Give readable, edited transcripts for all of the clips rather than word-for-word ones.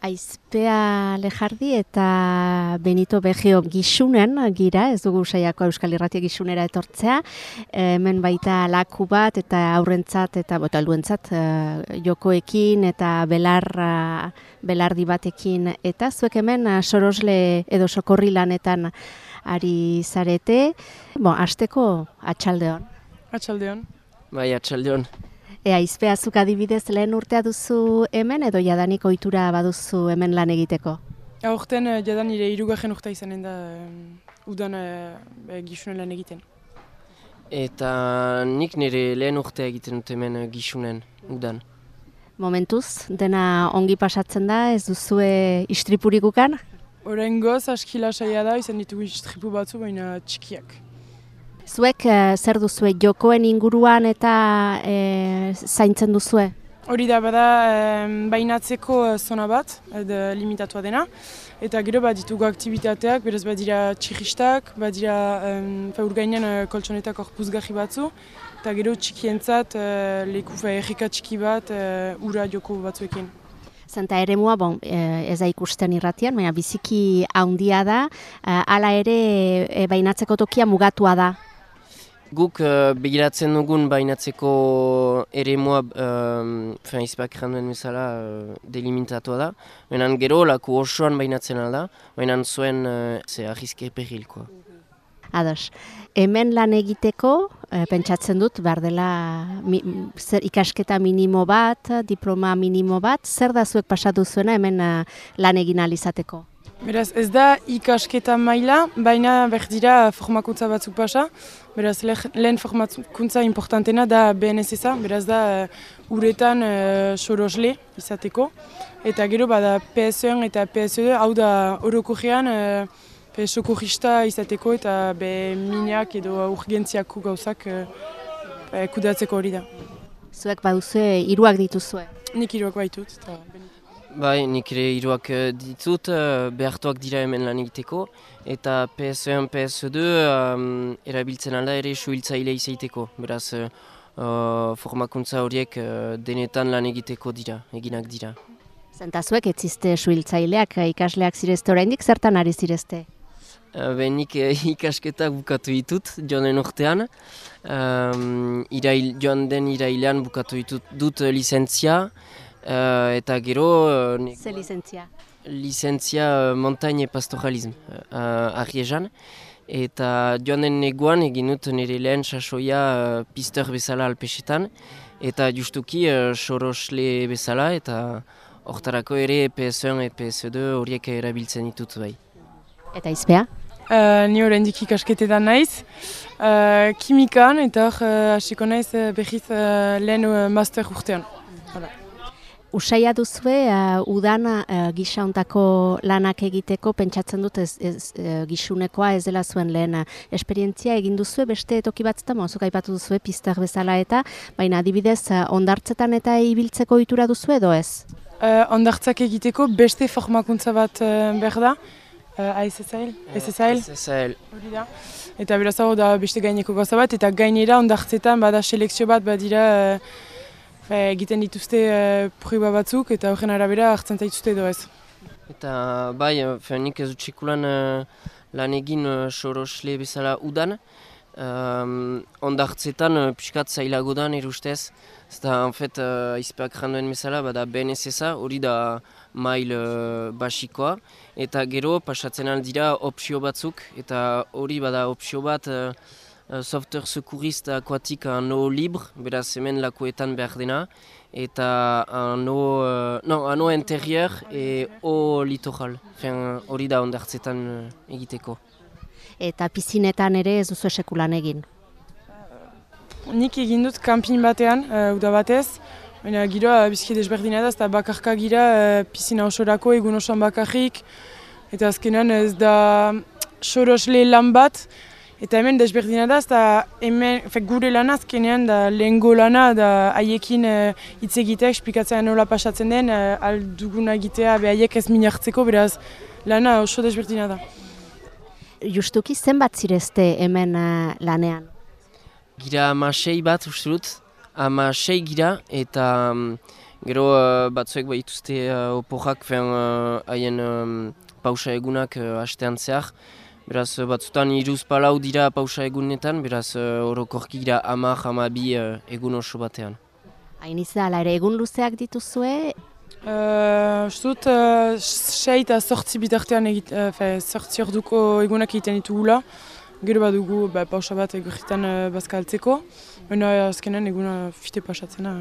Aizpea Lejardi eta Benito Begio gisunen gira, ez dugu saiako Euskal Irratia gisunera etortzea, hemen baita laku bat eta aurrentzat eta helduentzat jokoekin eta belardi batekin, eta zuek hemen sorosle edo sokorri lanetan ari zarete, hasteko atxaldeon. Atxaldeon. Bai, atxaldeon. Aizpea, zuk adibidez lehen urtea duzu hemen edo jadanik ohitura baduzu hemen lan egiteko? Aurten jadan nire 3. urtea izanen da udan gisunen lan egiten. Eta nik nire lehen urtea egiten dut hemen gisunen udan. Momentuz, dena ongi pasatzen da, ez duzue istripurik ukan? Oraingoz aski lasaia da, izan ditugu istripu batzu, baina txikiak. Zuek zer duzue, jokoen inguruan eta zaintzen duzue? Hori da bada bainatzeko zona bat, limitatua dena. Eta gero ditugu aktibitateak, beraz badira txirristak, badira urgainen koltsonetak puzgarri batzu. Eta gero txikientzat leku erreka txiki bat ura joko batzuekin. Zenta eremua, ez da ikusten irratian, baina biziki handia da, hala ere bainatzeko tokia mugatua da. Guk begiratzen dugun bainatzeko eremua Aizpeak janduen bezala delimitatua da. Baina gero laku osoan bainatzen alda, baina zuen arrizke perrilkoa. Ados, hemen lan egiteko, pentsatzen dut, behar dela ikasketa minimo bat, diploma minimo bat, zer da zuek pasatu zuena hemen lan egin ahal izateko? Beraz, ez da ikasketa maila, baina berdira formakuntza batzuk pasa. Beraz, lehen formakuntza importantena da BNSS-a, beraz da uretan sorosle izateko. Eta gero bada PS1 eta PS2, hau da orokorrean sokorrista izateko eta minak edo urgentziako gauzak kudatzeko hori da. Zuek baduzue 3 dituzue? Nik 3 baitut. Bai, nik ere 3 ditut, behartuak dira hemen lan egiteko, eta PS1, PS2 erabiltzen alda ere suhiltzaile izaiteko. Beraz, formakuntza horiek denetan lan egiteko dira, eginak dira. Zentazuek ez ziste suhiltzaileak, ikasleak zirezte oraindik, zertan ari zirezte? Nik ikasketak bukatu ditut joanen urtean. Joan den irailean bukatu dut lizentzia. Eta gero... Ze lizentzia? Lizentzia Montagne Pastoralism, Arriezan. Eta joan den neguan egin dut nire lehen sasoia pisteur bezala alpesetan. Eta justuki sorosle bezala eta hortarako ere PS1 eta PS2 horiek erabiltzen ditut bai. Eta Aizpea? Ni oraindik ikasketetan naiz. Kimikan eta hasiko naiz behiz lehen master urtean. Usaia duzue, udan gisa hontako lanak egiteko, pentsatzen dut gisunekoa ez dela zuen lehen esperientzia egin duzue, beste toki batzutan, zuk aipatu duzue, pistak bezala eta, baina adibidez, hondartzetan eta ibiltzeko ohitura duzue edo ez? Hondartzak egiteko beste formakuntza bat behar da, SSL? Hori da. Eta beraz hau da beste gaineko gauza bat, eta gainera hondartzetan bada selekzio bat badira egiten dituzte proiba batzuk eta horren arabera hartzen zaituzte edo ez. Eta bai, nik ez dut sekulan lan egin sorosle bezala udan. Hondartzetan pixkat zailago da nire ustez. Eta Aizpeak janduen bezala bada BNSS-a, hori da mail basikoa. Eta gero pasatzen aldira opzio batzuk, eta hori bada opzio bat software secouriste aquatique en eau libre, beraz hemen lakuetan behar dena, eta en eau intérieur et eau littoral, hori da hondartzetan egiteko. Eta piszinetan ere ez duzu sekulan egin? Nik egin dut kanpin batean, uda batez, baina giroa bizki desberdina da, eta bakarka gira pizzina osorako egun osoan bakarrik, eta azkenan ez da sorosle lan bat. Eta hemen desberdina da, eta hemen gure lana azkenean da lehengo lana da haiekin hitz egitea, esplikatzea nola pasatzen den, alduguna egitea haiek ez min hartzeko, beraz lana oso desberdina da. Justuki zenbat zirezte hemen lanean? Gira 16 bat uste dut, 16 gira eta Gero batzuek dituzte oporrak haien pausa egunak hastean zehar. Beraz, batzutan 3-4 dira pausa egunetan, beraz, orokorki dira 10-12 egun oso batean. Hain izala ere egun luzeak dituzue, Ustut, 6 eta 8 bitartean 8 orduko egunak egiten ditugula. Gero badugu pausa bat egurritan bazkaltzeko. Baina azkenan eguna fite pasatzena.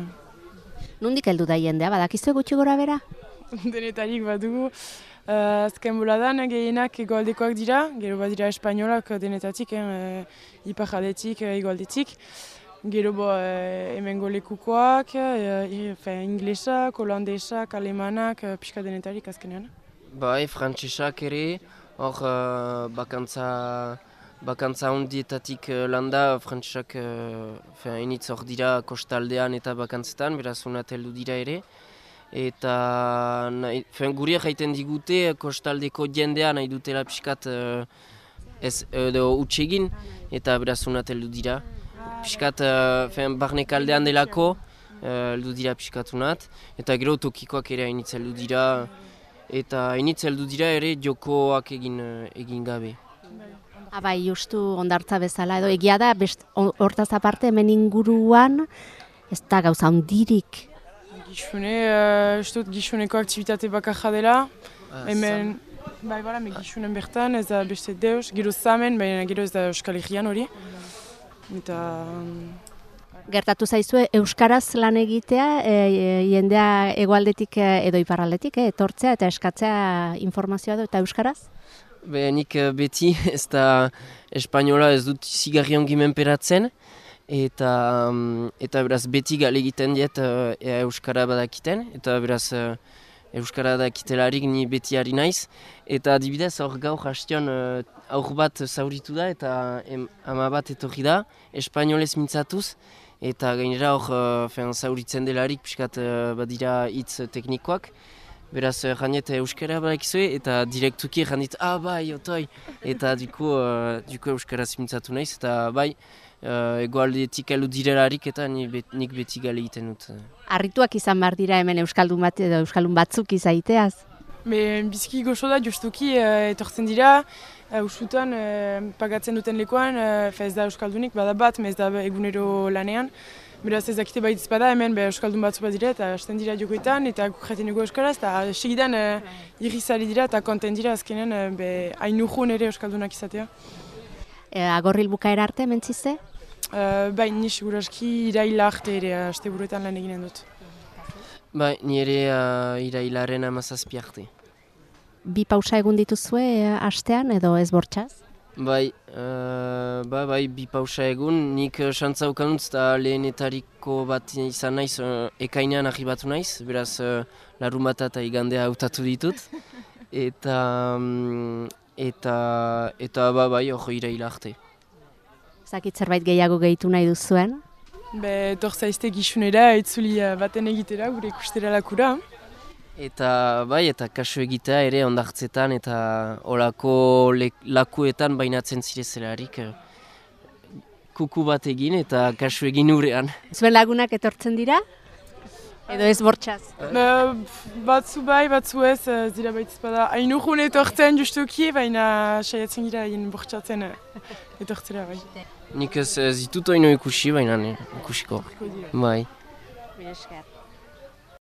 nondik heldu da jendea, badakizue gutxi gora bera? Denetarik badugu. Azken boladan gehienak egoaldekoak dira, gero badira espainolak denetatik, ipar-aldetik, egoaldetik. Gero hemengo lekukoak, inglesak, holandesak, alemanak, pixka denetarik azkenean. Bai, frantsesak ere, hor bakantza hondietatik landa, frantsesak initz hor dira kostaldean eta bakantzetan, beraz honat heldu dira ere. Eta guri jaiten digute kostaldeko jendea nahi dutela pixkat utxegin, eta beraz honat heldu dira. Piskat barnekaldean delako heldu dira piskatunat, eta gero tokikoak ere hainitz heldu dira, eta hainitz heldu dira ere jokoak egin gabe. Bai, justu ondartza bezala, edo egia da, hortaz aparte hemen inguruan, ez da gauza handirik. Gixuneko aktivitate bakarra dela, hemen gixunen bertan, ez da beste deus, gero zamen, baina gero ez da Euskal Herrian hori. Gertatu zaizue euskaraz lan egitea, jendea hegoaldetik edo iparraldetik etortzea eta eskatzea informazioa du eta euskaraz? Nik beti ez da espainola ez dut zigarri ongi menperatzen, eta beraz beti gale egiten diet euskara badakiten, eta beraz euskara dakitelarik ni beti ari naiz. Eta adibidez hor gaur hastion aur bat zauritu da eta ama bat etorri da, espainolez mintzatuz. Eta gainera hor zauritzen delarik pixkat badira hitz teknikoak. Beraz janet euskara badakizue eta direktuki janit bai, otoi. Eta duko euskaraz mintzatu naiz eta bai, egoaldetik heldu direlarik eta nik beti gale egiten dut. Harrituak izan behar dira hemen euskaldun bat edo euskaldun batzuk izaiteaz? Biziki goxo da justuki etortzen dira, usutan pagatzen duten lekuan, ez da euskaldunik, bada bat, ez da egunero lanean. Beraz ez dakite baitz bada hemen euskaldun batzu bat dira eta hasten dira jokoetan eta jaten dugu euskaraz eta segidan irrizari dira eta konten dira azkenen hain urrun ere euskaldunak izatea. Agorril bukaera arte mentzizte? Bai, ni seguraski iraila arte ere asteburuetan lan eginen dut. Bai, ni ere irailaren 17 arte. Bi pausa egun dituzue astean edo ez bortxaz? Bai, bi pausa egun, nik xantza ukanutz eta lehenetariko bat izan naiz, ekainean arribatu naiz, beraz larun bat eta igandea hautatu ditut. Eta hori iraila arte. Zakit zerbait gehiago gehitu nahi duzuen? Torzaizte gixunera, itzuli baten egitera, gure ikustera lakura. Eta kasu egitea ere ondartzetan eta olako lakuetan bainatzen zirezelarik kuku bat egin eta kasu egin urean. Zuen lagunak etortzen dira? Edo ez bortxaz? Batzu bai, batzu ez, dira baitz bada. Hain urrun etortzen justuki, baina saiatzen gira hain bortxatzen etortzera bai. Nik ez ditut oino ikusi, baina ikusiko. Bai. Mila esker.